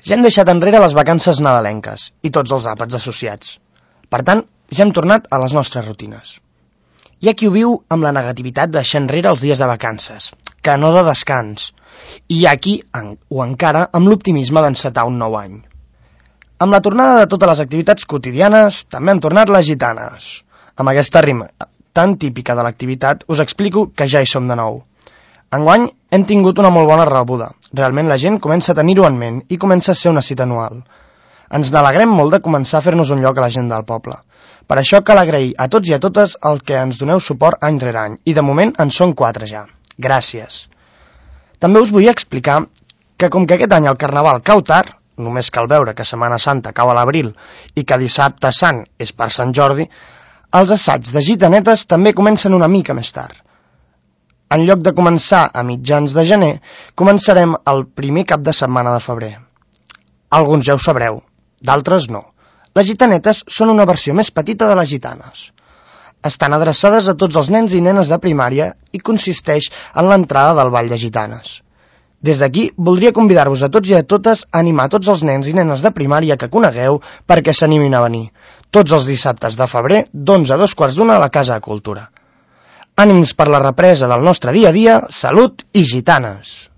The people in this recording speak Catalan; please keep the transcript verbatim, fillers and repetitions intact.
Ja hem deixat enrere les vacances nadalenques i tots els àpats associats. Per tant, ja hem tornat a les nostres rutines. Hi ha qui ho viu amb la negativitat de deixar enrere els dies de vacances, que no de descans, i hi ha qui, en, o encara, amb l'optimisme d'encetar un nou any. Amb la tornada de totes les activitats quotidianes, també han tornat les gitanes. Amb aquesta rima tan típica de l'activitat, us explico que ja hi som de nou. Enguany hem tingut una molt bona rebuda. Realment la gent comença a tenir-ho en ment i comença a ser una cita anual. Ens n'alegrem molt de començar a fer-nos un lloc a la gent del poble. Per això cal agrair a tots i a totes el que ens doneu suport any rere any, i de moment en són quatre ja. Gràcies. També us vull explicar que com que aquest any el Carnaval cau tard, només cal veure que Setmana Santa cau a l'abril i que Dissabte Sant és per Sant Jordi, els assaigs de gitanetes també comencen una mica més tard. En lloc de començar a mitjans de gener, començarem el primer cap de setmana de febrer. Alguns ja ho sabreu, d'altres no. Les gitanetes són una versió més petita de les gitanes. Estan adreçades a tots els nens i nenes de primària i consisteix en l'entrada del ball de gitanes. Des d'aquí, voldria convidar-vos a tots i a totes a animar tots els nens i nenes de primària que conegueu perquè s'animin a venir. Tots els dissabtes de febrer, d'onze a dos quarts d'una a la Casa de Cultura. Ànims per la represa del nostre dia a dia, salut i gitanes!